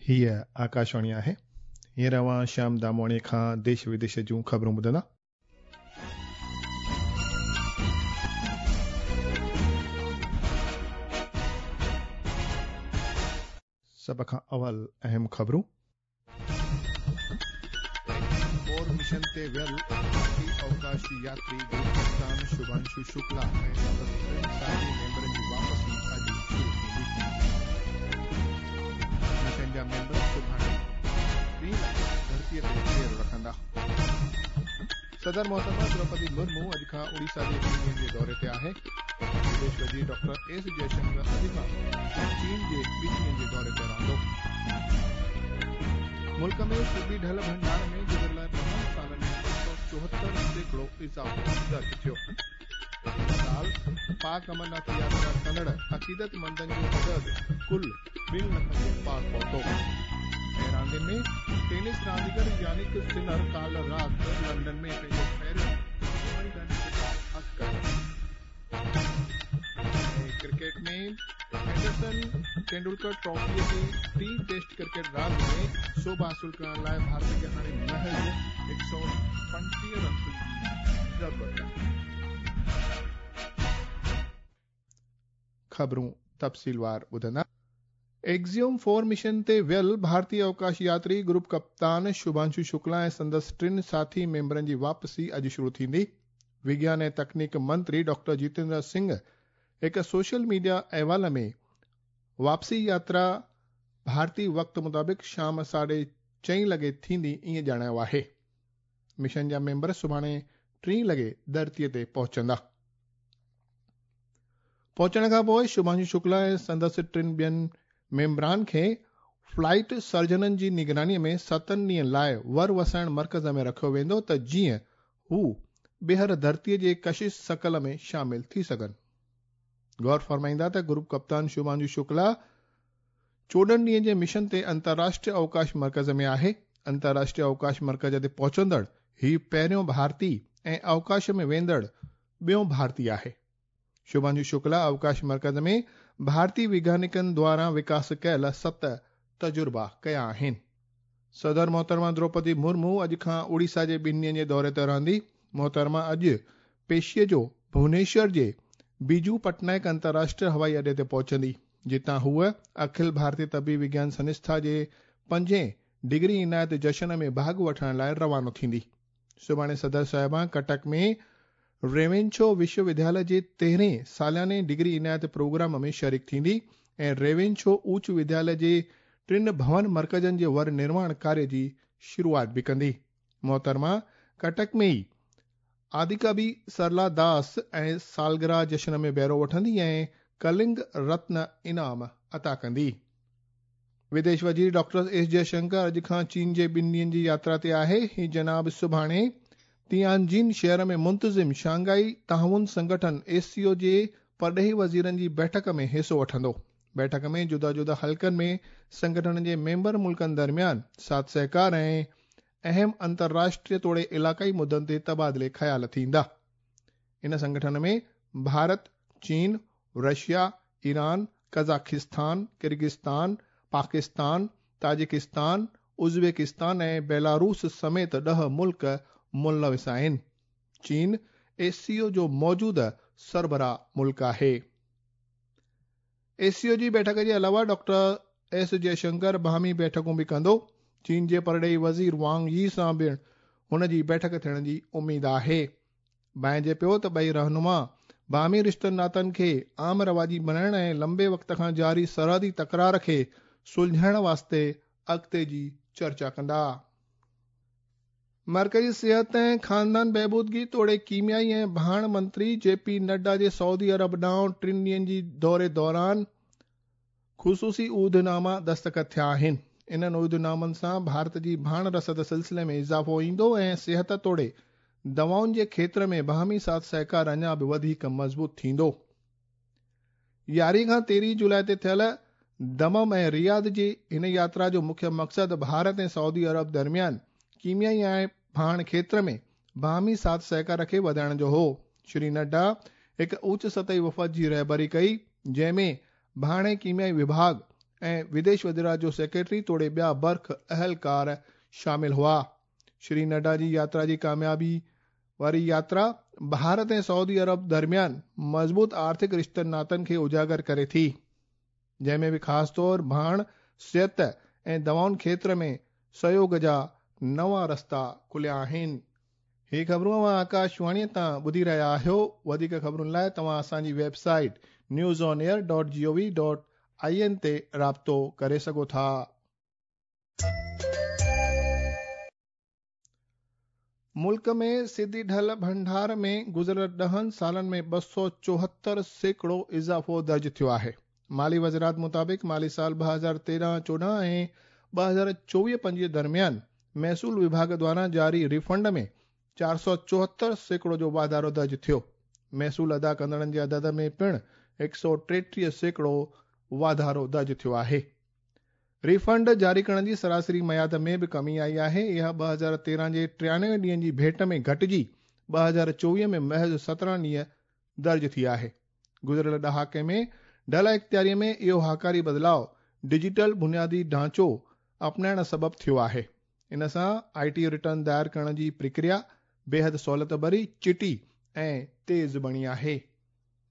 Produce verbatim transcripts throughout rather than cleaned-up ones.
हीअ आकाशवाणी आहे। हींअर अवां श्याम दामवाणीअ खां देश विदेश जूं ख़बरूं ॿुधंदा। सभ खां अवल अहम ख़बरूं। फोर मिशन ते वियल भारतीय अवकाश यात्री ग्रुप कप्तान शुभांशु शुक्ला ऐं संदसि टिनि साथी मेंबरनि जी वापसी अॼु शुरू थींदी। मिशन जा मेंबर सुभाणे टीं लॻे धरतीअ ते पेर रखंदा। सदर मोहतरमा द्रौपदी मुर्मू अॼु खां उड़ीसा जे ॿिनि ॾींहंनि जे दौरे ते आहे। विदेश वज़ीर डॉक्टर एस जयशंकर अॼु खां चीन जे ॿिनि ॾींहंनि जे दौरे ते रहंदो। मुल्क में सुबी ढल भंडार में गुज़िरियल ॿ सालनि में ॿ सौ चोहतरि सैकड़ो इज़ाफ़ो दर्ज थियो। हिन साल पाक अमरनाथ यात्रा कंदड़ अक़ीदतमंदनि जो अदद कुल ॿिनि लखनि जे पार पहुतो। ऐं रांदियुनि में टेनिस रांदीगर यानिक सिनर काल राति लंदन में पंहिंजो पहिरियों विम्बलडन खिताब हथ कयो। ऐं क्रिकेट में एंडरसन तेंदुलकर ट्रॉफीअ जी टीं टेस्ट क्रिकेट रांदि में सोभ हासिल करण लाइ भारत खे हाणे महज़ हिकु सौ पंटीह रनसुनि जी ज़रूरत आहे। ख़बरूं तफ़सीलवार ॿुधंदा। एक्सियोम फोर मिशन ते वियल भारतीय अवकाश यात्री ग्रुप कप्तान शुभांशु शुक्ला ऐं संदसि टिनि साथी मेंबरनि जी वापसी अॼु शुरू थींदी। विज्ञान ऐं तकनीक मंत्री डॉक्टर जितेंद्र सिंह हिकु सोशल मीडिया अहवाल में वापसी यात्रा भारतीय वक़्त मुताबिक़ शाम साढे चईं लॻे थींदी ईअं ॼाणायो आहे। मिशन जा मेंबर सुभाणे टीं लॻे धरतीअ ते पहुचंदा। पहुचण खां पोइ शुभांशु शुक्ला ऐं संदसि टिनि ॿियनि मेंबरान खे फ्लाइट सर्जननि जी निगरानीअ में सतनि ॾींहंनि लाइ वर वसाइण मर्कज़ में रखियो वेंदो त जीअं हू ॿीहर धरतीअ जे कशिश सकल में शामिल थी सघनि। गौर फरमाईंदा त ग्रुप कप्तान शुभांशु शुक्ला चोॾहं ॾींहंनि जे मिशन ते अंतर्राष्ट्रीय अवकाश मर्कज़ में आहे। अंतर्राष्ट्रीय अवकाश मर्कज़ ते पहुचंदड़ हीउ पहिरियों भारतीय ऐं अवकाश में वेंदड़ ॿियो भारतीय आहे। शुभांशु शुक्ला अवकाश मर्कज़ में भारतीय वैज्ञानिकनि द्वारा विकास कयल सत तजुर्बा कया आहिनि। सदर मोहतरमा द्रौपदी मुर्मू अॼु खां उड़ीसा जे ॿिनि ॾींहंनि जे दौरे ते रहंदी। मोहतरमा अॼु पेशीअ जो भुवनेश्वर जे बीजू पटनायक अंतर्राष्ट्रीय हवाई अॾे ते पहुचंदी, जितां हूअ अखिल भारतीय तबी विज्ञान संस्था जे पंजें डिग्री इनायत जशन में भाॻ वठण लाइ रवानो थींदी। सुभाणे सदर साहिबा कटक में रेवेन्शो विश्वविद्यालय जे तेरहें सालाने डिग्री इनायत प्रोग्राम में शरीक थींदी ऐं रेवेन्शो उच्च विद्यालय जे टिनि भवन मर्कज़नि जे वर निर्माण कार्य जी शुरूआत बि कंदी। मोहतरमा कटक में ई आदिकवि सरला दास ऐं सालगिरह जशन में बहिरो वठंदी ऐं कलिंग रत्न इनाम अता कंदी। विदेश वज़ीर डॉक्टर एस जयशंकर अॼु खां चीन जे ॿिनि ॾींहंनि जी यात्रा ते आहे। हीउ जनाब सुभाणे तियानजिन शहर में मुंतज़िम शंघाई ताउन संगठन एस सी ओ जे परॾेही वज़ीरनि जी बैठक में हिसो वठंदो। बैठक में जुदा जुदा हलकनि में संगठन जे मेंबर मुल्कनि दरमियान साथ सहकार ऐं अहम अंतर्राष्ट्रीय तोड़े इलाक़ाई मुद्दनि ते तबादिले ख़्याल थींदा। इन संगठन में भारत, चीन, Russia, Iran, Kazakhstan, Kyrgyzstan, Pakistan, Tajikistan, Uzbekistan ऐं बेलारूस समेत ॾह मुल्क मुलविस आहिनि। चीन एस सी ओ जो मौजूदा सरबराह मुल्क आहे। एस सी ओ जी बैठक जे अलावा डॉक्टर एस जयशंकर बाहमी बैठकूं बि कंदो। चीन जे परॾेही वज़ीर वांग यी सां बि हुन जी बैठक थियण जी उमेद आहे। भांइजे पियो त ॿई रहनुमा बाहमी रिश्तनि नातनि खे आम रवाजी बणाइण ऐं लंबे वक़्त खां जारी सरहदी तकरार खे सुलझाइण वास्ते अॻिते जी चर्चा कंदा। मर्कज़ी सिहत ऐं ख़ानदान बहबूदगी तोड़े कीमियाई ऐं भाण मंत्री जे पी नड्डा जे सऊदी अरब ॾांहुं टिनि ॾींहंनि जी दौरे दौरान ख़ुसूसी उहदनामा दस्तख़त थिया आहिनि। इन्हनि उहदनामनि सां भारत जी भाण रसद सिलसिले में इज़ाफ़ो ईंदो ऐं सिहत तोड़े दवाउनि जे खेतर में बाहमी साथ सहकार अञा बि वधीक मज़बूत थींदो। यारहीं खां तेरहीं जुलाई ते थियल दमम ऐं रियाद जी हिन यात्रा जो मुख्य मक़सदु भारत ऐं सऊदी अरब दरमियान कीमियाई ऐं भाण खेतर में बाहमी साथ सहकार खे वधाइण जो हो। श्री नड्डा हिकु उच्च सतही वफ़द जी रहबरी कई, जंहिंमें भाण ऐं कीमियाई विभाग ऐं विदेश वज़ारत जो सेक्रेटरी तोड़े ॿिया बर्ख अहलकार शामिल हुआ। श्री नड्डा जी यात्रा जी कामयाबी वारी यात्रा भारत ऐं सऊदी अरब दरमियान मज़बूत आर्थिक रिश्तनि नातनि खे उजागर करे थी, जंहिंमें बि ख़ासि तौर भाण, सिहत ऐं दवाउनि क्षेत्र में सहयोग जा नवां रस्ता खुलिया आहिनि। ही ख़बरूं अव्हां आकाशवाणीअ तां ॿुधी रहिया आहियो। वधीक ख़बरुनि लाइ तव्हां असांजी website news on air dot G O V dot I N ते राब्तो करे सघो था। मुल्क में सिधी ढल भंडार में गुज़िरियल ॾहनि सालनि में ॿ सौ चोहतरि सैकड़ो इज़ाफ़ो दर्ज थियो आहे। माली वज़ारत मुताबिक़ माली साल ॿ हज़ार तेरहं चोॾहं ऐं ॿ हज़ार चोवीह पंजवीह दरमियान महसूल विभाग द्वारा जारी रिफंड में चारि सौ चोहतरि सैकड़ो जो वाधारो दर्ज थियो। महसूल अदा कंदड़नि जे अदद में पिणु हिकु सौ टेटीह सैकड़ो वाधारो दर्ज थियो आहे। रिफंड जारी करण जी सरासरी मयाद में बि कमी आई आहे। इहा ॿ हज़ार तेरहं जे टियानवे ॾींहनि जी भेंट में घटिजी ॿ हज़ार चोवीह में महज़ सतरहं ॾींहं दर्ज थी आहे। गुज़िरियल ॾहाके में ढल इख़्तियारीअ में इहो हाकारी बदिलाव डिजिटल बुनियादी ढांचो अपनाइण सबबु थियो आहे। इन सां I T return दायर करण जी प्रक्रिया बेहद सहूलियत भरी, चिटी ऐं तेज़ बणी आहे।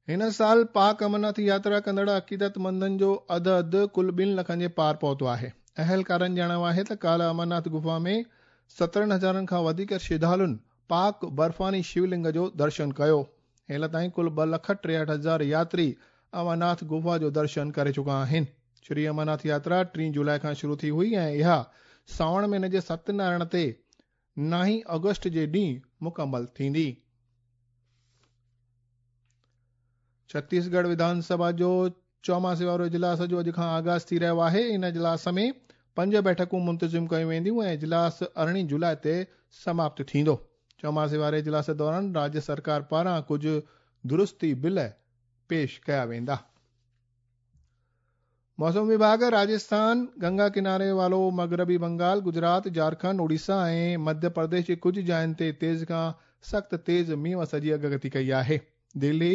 हिन साल पाक अमरनाथ यात्रा कंदड़ अक़ीदतमंदनि जो अदद कुल ॿिनि लखनि जे पार पहुतो आहे। अहलकारनि ॼाणायो आहे त काल्ह अमरनाथ गुफा में सतरहं हज़ारनि खां वधीक श्रद्धालुनि पाक बर्फ़ानी शिवलिंग जो दर्शन कयो। हिन ताईं कुल ॿ लख टेहठि हज़ार यात्री अमरनाथ गुफा जो दर्शन करे चुका आहिनि। श्री अमरनाथ यात्रा टीं जुलाई खां शुरू थी हुई ऐं इहा सावण महीने जे सत्यनारायण ते नाहीं अगस्त जे ॾींहुं मुकमल थींदी। छत्तीसगढ़ विधानसभा जो चौमासे वारो इजलास जो अॼु खां आगाज़ थी रहियो आहे। इन इजलास में पंज बैठकूं मुंतज़िम कयूं वेंदियूं ऐं इजलास अरिड़हीं जुलाई ते समाप्त थींदो। चौमासे वारे इजलास दौरान राज्य सरकार पारां कुझु दुरुस्ती बिल पेश कया वेंदा। मौसम विभाग राजस्थान, गंगा किनारे वारो मग़रबी बंगाल, गुजरात, झारखंड, उड़ीसा ऐं मध्य प्रदेश जे कुझु जायुनि ते तेज़ खां सख़्त तेज़ मींहुं वस जी अॻकथी कई आहे। दिल्ली,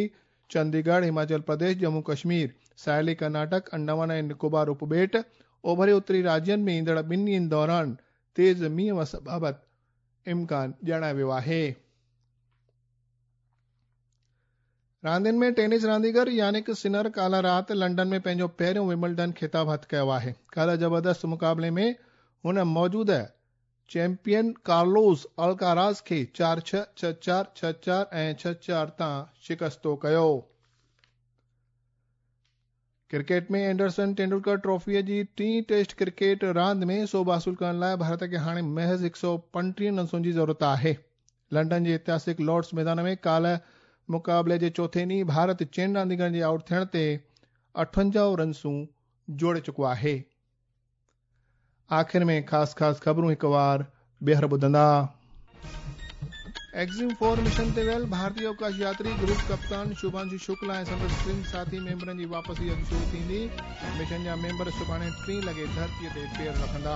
चंडीगढ़, हिमाचल प्रदेश, जम्मू कश्मीर, साहिली कर्नाटक, अंडमान ऐं निकोबार उपॿेट, ओभरे उत्तरी राज्यनि में ईंदड़ ॿिनि ॾींहंनि दौरान तेज़ मींहुं वस बाबति इम्कान ॼाणायो वियो आहे। रांदियुनि में टेनिस रांदीगर यानिक सिनर काल्ह राति लंदन में पंहिंजो पहिरियों विम्बलडन ख़िताब हथु कयो आहे। काल्ह ज़बरदस्त मुक़ाबले में हुन मौजूदा चैंपियन कार्लोस अल्काराज़ खे चारि छह, छह चारि, छह चारि ऐं छह चारि तां शिकस्तो कयो। क्रिकेट में एंडरसन तेंदुलकर ट्रॉफीअ जी टीं टेस्ट क्रिकेट रांदि में सोभ हासिल करण लाइ भारत खे हाणे महज़ हिकु सौ पंटीह रनसुनि जी ज़रूरत आहे। लंदन जे ऐतिहासिक लॉर्ड्स मैदान में काल्ह मुक़ाबले जे चोथे ॾींहुं भारत चइनि रांदीगरनि जे आउट थियण ते अठवंजाह रनसूं जोड़े चुको आहे। आख़िर में ख़ासि ख़ासि ख़बरूं हिकु वार ॿीहर ॿुधंदा। एक्सिम फोर मिशन ते वियल भारतीय अवकाश यात्री ग्रुप कप्तान शुभांशु शुक्ला ऐं संदसि टिनि साथी मेंबरनि जी वापसी अॼु शुरू थींदी। मिशन जा मेंबर सुभाणे टीं लॻे धरतीअ ते पेर रखंदा।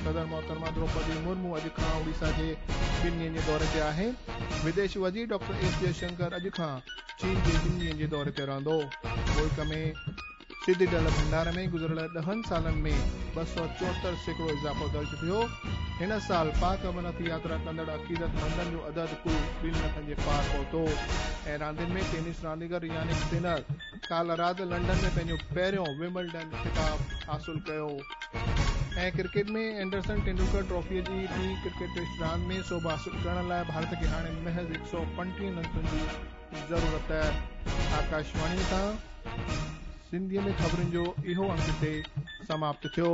सदर मोहतरमा द्रौपदी मुर्मू अॼु खां उड़ीसा जे ॿिनि ॾींहंनि जे दौरे ते आहे। विदेश वज़ीर डॉक्टर एस जयशंकर अॼु खां चीन जे ॿिनि ॾींहंनि जे दौरे ते रहंदो। मुल्क में सिधी ढल भंडार में गुज़िरियल ॾहनि सालनि में ॿ सौ चोहतरि सैकड़ो इज़ाफ़ो दर्ज थियो। हिन साल पाक अमरनाथ यात्रा कंदड़ अक़ीदतमंदनि जो अदद कुल ॿिनि लखनि जे पार पहुतो। ऐं रांदियुनि में टेनिस रांदीगर यानिक सिनर काल्ह राति लंदन में पंहिंजो पहिरियों विम्बलडन ख़िताब हासिल कयो। ऐं क्रिकेट में एंडरसन तेंदुलकर ट्रॉफीअ जी टीं क्रिकेट टेस्ट रांदि में सोभ हासिल करण लाइ भारत खे हाणे महज़ हिकु सौ पंटीह रनसुनि जी ज़रूरत। आकाशवाणी तां सिंधीअ में ख़बरुनि जो इहो अंक हिते समाप्त थियो।